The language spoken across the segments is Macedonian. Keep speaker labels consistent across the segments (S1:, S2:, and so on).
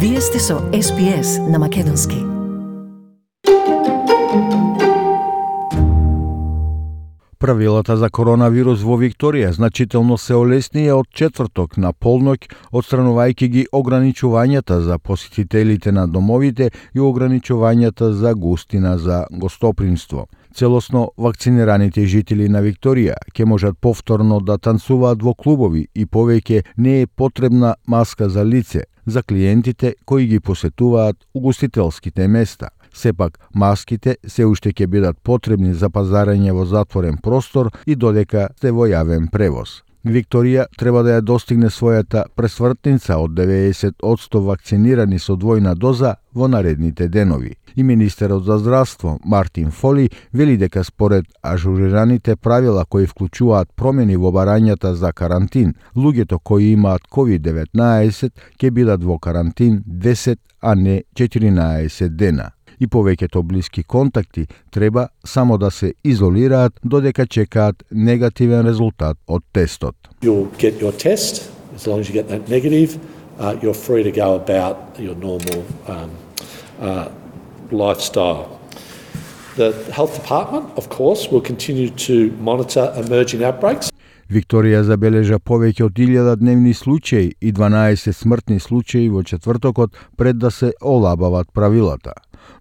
S1: Вие сте со SPS на Македонски.
S2: Правилата за коронавирус во Викторија значително се олеснија од четврток на полноќ, отстранувајќи ги ограничувањата за посетителите на домовите и ограничувањата за густина за гостопримство. Целосно вакцинираните жители на Викторија ќе можат повторно да танцуваат во клубови и повеќе не е потребна маска за лице за клиентите кои ги посетуваат угостителските места. Сепак, маските се уште ќе бидат потребни за пазарење во затворен простор и додека сте во јавен превоз. Викторија треба да ја достигне својата пресвртница од 90% вакцинирани со двојна доза во наредните денови. И министерот за здравство Мартин Фоли вели дека според ажурираните правила кои вклучуваат промени во барањата за карантин, луѓето кои имаат COVID-19 ќе бидат во карантин 10, а не 14 дена. И повеќето блиски контакти треба само да се изолираат додека чекаат негативен резултат од тестот.
S3: You'll get your test, as long as you get that negative, you're free to go about your normal lifestyle. The health department, of course, will continue to monitor emerging outbreaks.
S2: Викторија забележа повеќе од 1000 дневни случаи и 12 смртни случаи во четвртокот пред да се олабават правилата.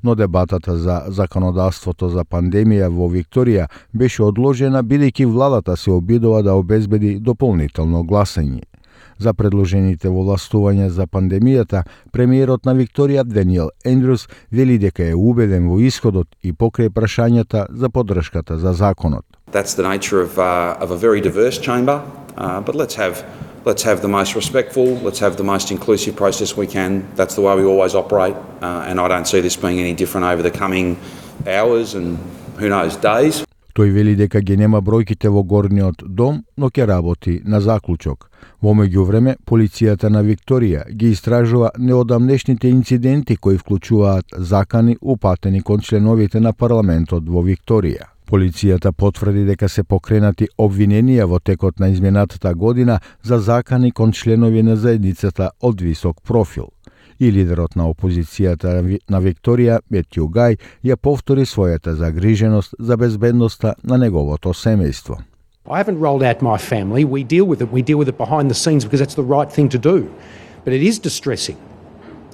S2: Но дебатата за законодавството за пандемија во Викторија беше одложена бидејќи владата се обидува да обезбеди дополнително гласање. За предложените властувања за пандемијата, премиерот на Викторија Даниел Ендрюс вели дека е убеден во исходот и покрај прашањата за поддршката за законот.
S4: That's the nature of a very diverse chamber, but let's have the most respectful, let's have the most inclusive process we can. That's the way we always operate, and I don't see this being any different over the coming hours and who knows, days.
S2: Тој вели дека ги нема бројките во горниот дом, но ќе работи на заклучок. Во меѓувреме, полицијата на Викторија ги истражува неодамнешните инциденти кои вклучуваат закани упатени кон членовите на парламентот во Викторија. Полицијата потврди дека се покренати обвиненија во текот на изминатата година за закани кон членови на заедницата од висок профил. И лидерот на опозицијата на Викторија, Метју Гај, ја повтори својата загриженост за безбедноста на неговото семејство.
S5: I haven't rolled out my family. We deal with it behind the scenes because that's the right thing to do. But it is distressing.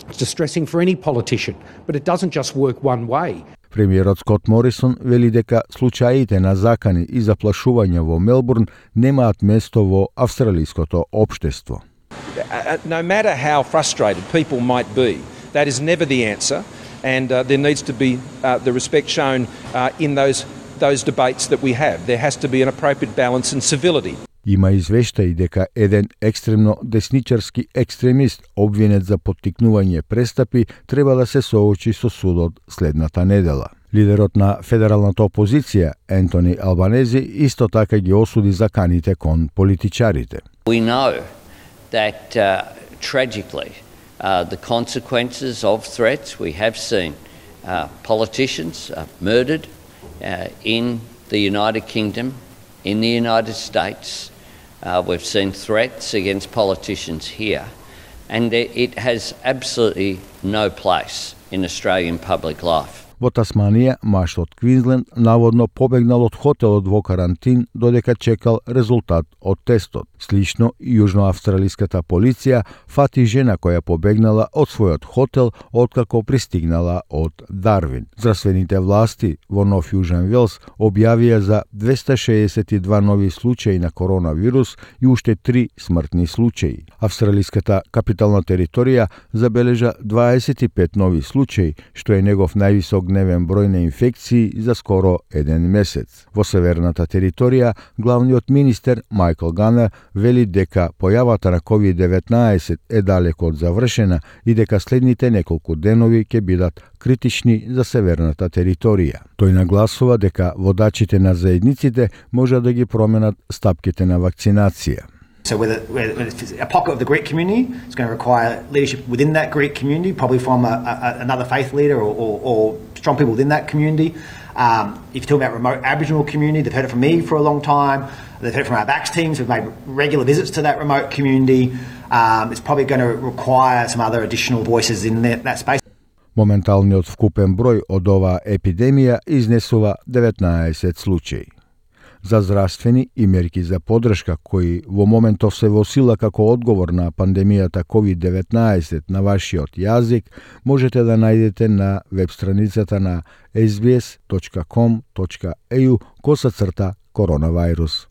S5: It's distressing for any politician, but it doesn't just work one way.
S2: Премиерот Скот Морисон вели дека случаите на закани и заплашување во Мелбурн немаат место во австралиското општество.
S6: No matter how frustrated people might be, that is never the answer, and there needs to be the respect shown in those debates that we have. There has to be an appropriate balance and civility.
S2: Има извештаи дека еден екстремно десничарски екстремист обвинет за поттикнување престапи треба да се соочи со судот следната недела. Лидерот на федералната опозиција Ентони Албанези исто така ги осуди заканите кон политичарите.
S7: We know that tragically the consequences of threats we have seen politicians murdered in the United Kingdom, in the United States. We've seen threats against politicians here, and it has absolutely no place in Australian public life.
S2: Во Тасманија, маж од Квинсленд наводно побегнал од хотелот во карантин додека чекал резултат од тестот. Слично, јужноавстралиската полиција фати жена која побегнала од својот хотел откако пристигнала од Дарвин. Здравствените власти во Нов Јужен Велс објавија за 262 нови случаи на коронавирус и уште 3 смртни случаи. Австралиската капитална територија забележа 25 нови случаи, што е негов највисок дневен број на инфекции за скоро еден месец. Во северната територија, главниот министер Майкл Ганер вели дека појавата на COVID-19 е далеко од завршена и дека следните неколку денови ќе бидат критични за северната територија. Тој нагласува дека водачите на заедниците може да ги променат стапките на вакцинација.
S8: So whether it's a pocket of the Greek community, it's going to require leadership within that Greek community, probably from another faith leader or strong people within that community. If you're talking about remote Aboriginal community, they've heard it from me for a long time. They've heard it from our BACS teams. We've made regular visits to that remote community. It's probably going to require some other additional voices in that space.
S2: Моменталниот вкупен број од оваа епидемија изнесува 19 случаи. За здравствени и мерки за поддршка кои во моментов се во сила како одговор на пандемијата COVID-19 на вашиот јазик, можете да најдете на веб страницата на sbs.com.au/коронавирус.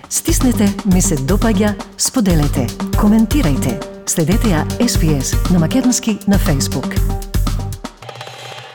S1: Стиснете, ми се допаѓа, споделете, коментирајте. Следете ја SPS на Македонски на Facebook.